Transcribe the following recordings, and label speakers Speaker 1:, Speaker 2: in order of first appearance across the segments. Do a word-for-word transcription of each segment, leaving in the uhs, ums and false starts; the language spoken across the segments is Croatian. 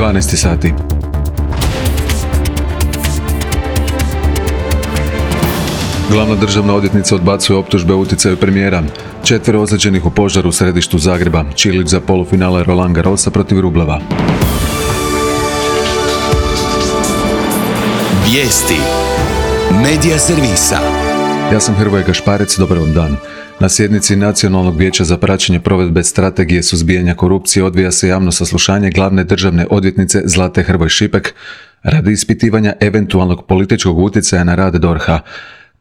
Speaker 1: dvanaest sati. Glavna državna odvjetnica odbacuje optužbe o utjecaju premijera. Četvero ozlijeđenih u požaru u središtu Zagreba. Čilić za polufinale Roland Garrosa protiv Rubleva.
Speaker 2: Vijesti Medija servisa.
Speaker 1: Ja sam Hrvoje Gašparec, dobar vam dan. Na sjednici Nacionalnog vijeća za praćenje provedbe strategije suzbijanja korupcije odvija se javno saslušanje glavne državne odvjetnice Zlate Hrvoj Šipek radi ispitivanja eventualnog političkog utjecaja na rad D O R H-a.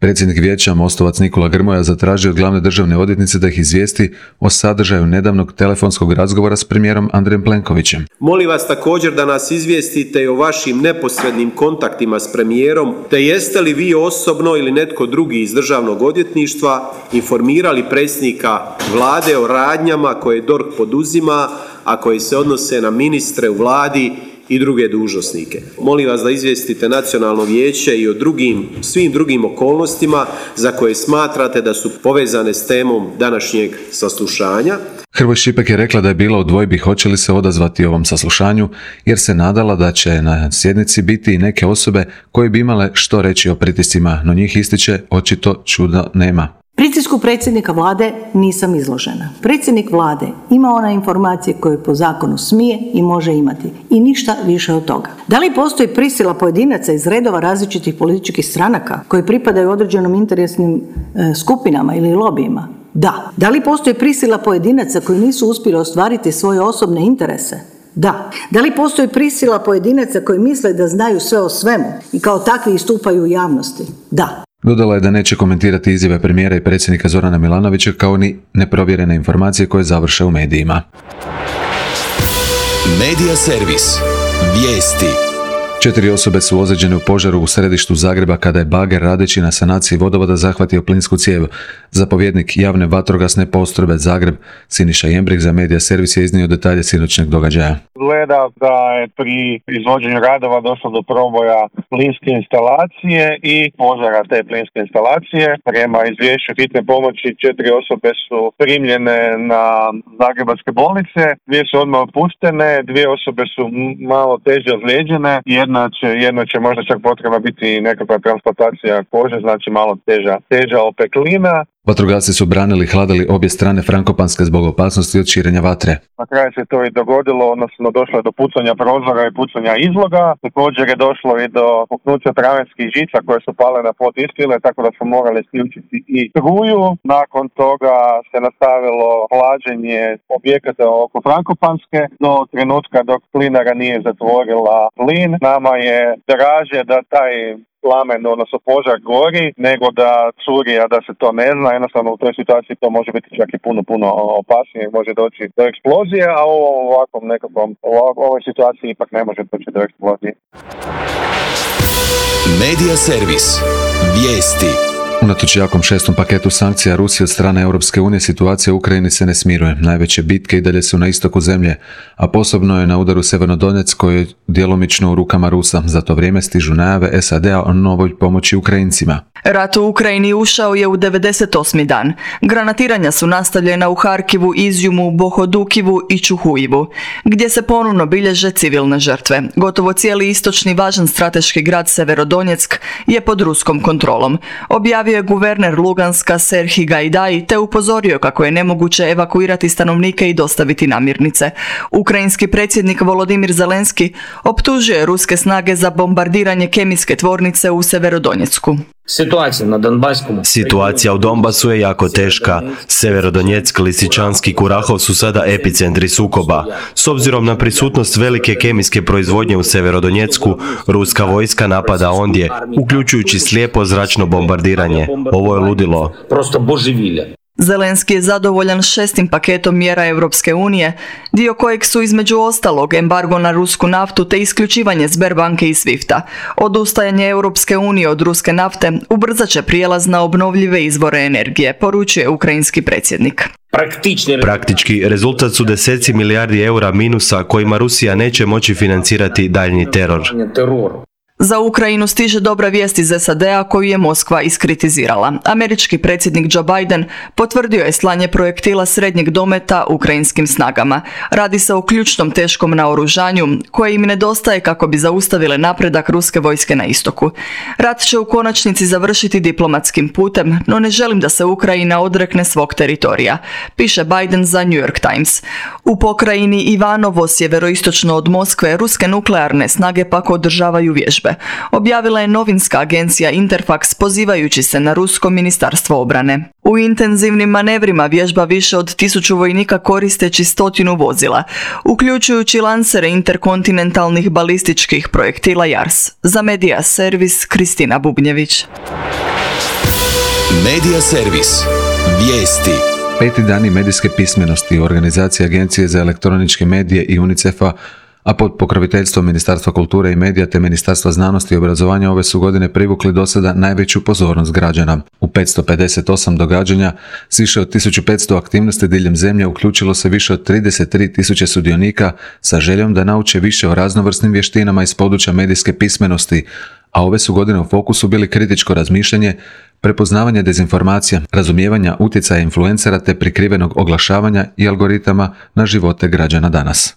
Speaker 1: Predsjednik vijeća Mostovac Nikola Grmoja zatražio od glavne državne odvjetnice da ih izvijesti o sadržaju nedavnog telefonskog razgovora s premijerom Andrejem Plenkovićem.
Speaker 3: Molim vas također da nas izvijestite i o vašim neposrednim kontaktima s premijerom, te jeste li vi osobno ili netko drugi iz državnog odvjetništva informirali predsjednika vlade o radnjama koje D O R H poduzima, a koje se odnose na ministre u vladi i druge dužnosnike. Molim vas da izvijestite Nacionalno vijeće i o drugim, svim drugim okolnostima za koje smatrate da su povezane s temom današnjeg saslušanja.
Speaker 1: Hrvoj Šipek je rekla da je bila u dvojbi hoće li se odazvati ovom saslušanju, jer se nadala da će na sjednici biti i neke osobe koje bi imale što reći o pritiscima, no njih ističe očito čuda nema.
Speaker 4: Pritisku predsjednika vlade nisam izložena. Predsjednik vlade ima one informacije koje po zakonu smije i može imati i ništa više od toga. Da li postoji prisila pojedinaca iz redova različitih političkih stranaka koji pripadaju određenom interesnim e, skupinama ili lobijima? Da. Da li postoji prisila pojedinaca koji nisu uspjeli ostvariti svoje osobne interese? Da. Da li postoji prisila pojedinaca koji misle da znaju sve o svemu i kao takvi istupaju u javnosti? Da.
Speaker 1: Dodala je da neće komentirati izjave premijera i predsjednika Zorana Milanovića kao ni neprovjerene informacije koje završe u medijima.
Speaker 2: Medija servis. Vijesti.
Speaker 1: Četiri osobe su ozlijeđene u požaru u središtu Zagreba kada je bager radeći na sanaciji vodovoda zahvatio plinsku cijev. Zapovjednik javne vatrogasne postrojbe Zagreb Siniša Jembrih za Medija servis je iznio detalje sinoćnjeg događaja.
Speaker 5: Gleda da je pri izvođenju radova došlo do proboja plinske instalacije i požara te plinske instalacije. Prema izvješću hitne pomoći četiri osobe su primljene na zagrebačke bolnice, dvije su odmah opuštene, dvije osobe su malo teže ozlijeđene, jedna će, jedna će možda čak potrebna biti nekakva transplantacija kože, znači malo teža, teža opeklina.
Speaker 1: Vatrogasci su branili i hladili obje strane Frankopanske zbog opasnosti od širenja vatre.
Speaker 5: Na kraju se to i dogodilo, odnosno došlo je do pucanja prozora i pucanja izloga. Također je došlo i do puknuća travenskih žica koje su pale na pod iskrile, tako da smo morali isključiti i struju. Nakon toga se nastavilo hlađenje objekata oko Frankopanske do trenutka dok plinara nije zatvorila plin. Nama je draže da taj plamen, odnosno požar gori, nego da curi, a da se to ne zna. Jednostavno u toj situaciji to može biti čak i puno, puno opasnije, može doći do eksplozije, a u ovakvom nekakvom, u ovoj situaciji ipak ne može doći do eksplozije.
Speaker 2: Medija servis. Vijesti.
Speaker 1: Unatoč jakom šestom paketu sankcija Rusije od strane Europske unije, situacija u Ukrajini se ne smiruje. Najveće bitke i dalje su na istoku zemlje, a posebno je na udaru Sjevernodonec koji je djelomično u rukama Rusa. Za to vrijeme stižu najave S A D-a o novoj pomoći Ukrajincima.
Speaker 6: Rat u Ukrajini ušao je u devedeset osmi dan. Granatiranja su nastavljena u Harkivu, Izjumu, Bohodukivu i Čuhujivu, gdje se ponovno bilježe civilne žrtve. Gotovo cijeli istočni važan strateški grad Severodonjeck je pod ruskom kontrolom. Objavio je guverner Luganska Serhij Gajdaj te upozorio kako je nemoguće evakuirati stanovnike i dostaviti namirnice. Ukrajinski predsjednik Volodimir Zelenski optužio je ruske snage za bombardiranje kemijske tvornice u Severodonjecku.
Speaker 7: Situacija u Donbasu je jako teška. Severodonjeck, Lisičanski i Kurahov su sada epicentri sukoba. S obzirom na prisutnost velike kemijske proizvodnje u Severodonjecku, ruska vojska napada ondje, uključujući slijepo zračno bombardiranje. Ovo je ludilo.
Speaker 6: Zelenski je zadovoljan šestim paketom mjera Europske unije, dio kojeg su između ostalog embargo na rusku naftu te isključivanje Sberbanke i Swifta. Odustajanje Europske unije od ruske nafte ubrzat će prijelaz na obnovljive izvore energije, poručuje ukrajinski predsjednik.
Speaker 7: Praktički, rezultat su deseci milijardi eura minusa kojima Rusija neće moći financirati daljnji teror.
Speaker 6: Za Ukrajinu stiže dobra vijest iz S A D-a koju je Moskva iskritizirala. Američki predsjednik Joe Biden potvrdio je slanje projektila srednjeg dometa ukrajinskim snagama. Radi se o ključnom teškom naoružanju koje im nedostaje kako bi zaustavile napredak ruske vojske na istoku. Rat će u konačnici završiti diplomatskim putem, no ne želim da se Ukrajina odrekne svog teritorija, piše Biden za New York Times. U pokrajini Ivanovo, sjeveroistočno od Moskve, ruske nuklearne snage pak održavaju vježbe. Objavila je novinska agencija Interfax pozivajući se na rusko ministarstvo obrane. U intenzivnim manevrima vježba više od tisuću vojnika koristeći stotinu vozila, uključujući lansere interkontinentalnih balističkih projektila Jars. Za Medija servis Kristina Bubnjević.
Speaker 2: Medija servis. Vijesti.
Speaker 1: Peti dani medijske pismenosti u organizaciji Agencije za elektroničke medije i UNICEF-a, a pod pokroviteljstvom Ministarstva kulture i medija te Ministarstva znanosti i obrazovanja ove su godine privukli do sada najveću pozornost građana. U petsto pedeset osam događanja s više od tisuću petsto aktivnosti diljem zemlje uključilo se više od trideset tri tisuće sudionika sa željom da nauče više o raznovrsnim vještinama iz područja medijske pismenosti, a ove su godine u fokusu bili kritičko razmišljanje, prepoznavanje dezinformacija, razumijevanja utjecaja influencera te prikrivenog oglašavanja i algoritama na živote građana danas.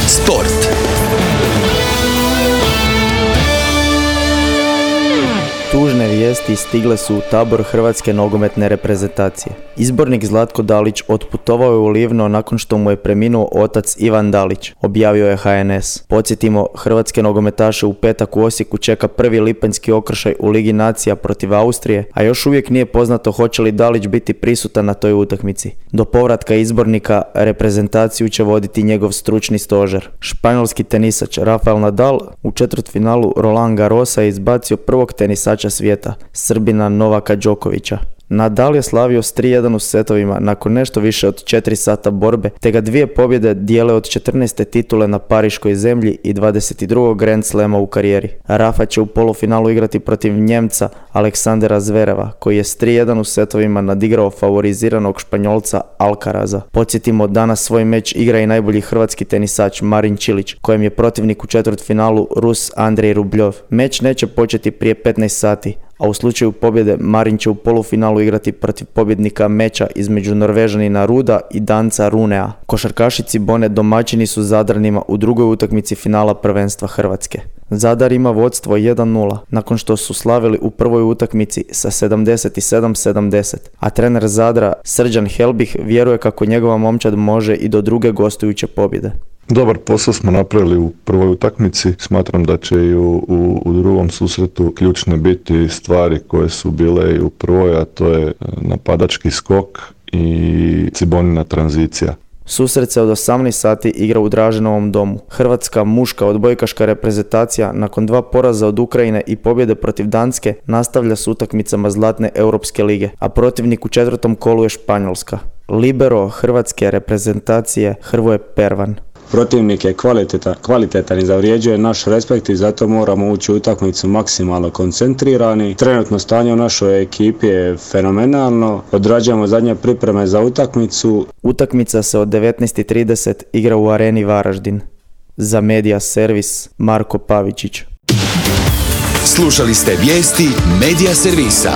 Speaker 2: Sport.
Speaker 8: Tužne vijesti stigle su u tabor hrvatske nogometne reprezentacije. Izbornik Zlatko Dalić otputovao je u Livno nakon što mu je preminuo otac Ivan Dalić, objavio je H N S. Podsjetimo, hrvatske nogometaše u petak u Osijeku čeka prvi lipanjski okršaj u Ligi nacija protiv Austrije, a još uvijek nije poznato hoće li Dalić biti prisutan na toj utakmici. Do povratka izbornika reprezentaciju će voditi njegov stručni stožer. Španjolski tenisač Rafael Nadal u četvrtfinalu Roland Garrosa je izbacio prvog tenisača svijeta, Srbina Novaka Đokovića. Nadal je slavio s tri jedan u setovima nakon nešto više od četiri sata borbe, te ga dvije pobjede dijele od četrnaeste titule na pariškoj zemlji i dvadeset drugog Grand Slema u karijeri. Rafa će u polufinalu igrati protiv Njemca Aleksandera Zvereva, koji je s tri jedan u setovima nadigrao favoriziranog Španjolca Alcaraza. Podsjetimo, danas svoj meč igra i najbolji hrvatski tenisač Marin Čilić, kojem je protivnik u četvrtfinalu Rus Andrej Rubljov. Meč neće početi prije petnaest sati, a u slučaju pobjede Marin će u polufinalu igrati protiv pobjednika meča između Norvežanina Ruda i Danca Runea. Košarkaši Cibone domaćini su Zadranima u drugoj utakmici finala prvenstva Hrvatske. Zadar ima vodstvo jedan nula nakon što su slavili u prvoj utakmici sa sedamdeset sedam sedamdeset, a trener Zadra Srđan Helbih vjeruje kako njegova momčad može i do druge gostujuće pobjede.
Speaker 9: Dobar posao smo napravili u prvoj utakmici. Smatram da će i u, u, u drugom susretu ključne biti stvari koje su bile i u prvoj, a to je napadački skok i Cibonina tranzicija.
Speaker 8: Susret se od osamnaest sati igra u Draženovom domu. Hrvatska muška odbojkaška reprezentacija nakon dva poraza od Ukrajine i pobjede protiv Danske nastavlja s utakmicama Zlatne Europske lige, a protivnik u četvrtom kolu je Španjolska. Libero hrvatske reprezentacije Hrvoje Pervan.
Speaker 10: Protivnik je kvalitetan, kvalitetan i zavrijeđuje naš respekt i zato moramo ući u utakmicu maksimalno koncentrirani. Trenutno stanje u našoj ekipi je fenomenalno. Odrađujemo zadnje pripreme za utakmicu.
Speaker 8: Utakmica se od devetnaest i trideset igra u Areni Varaždin. Za Medija servis Marko Pavičić.
Speaker 2: Slušali ste vijesti Medija servisa.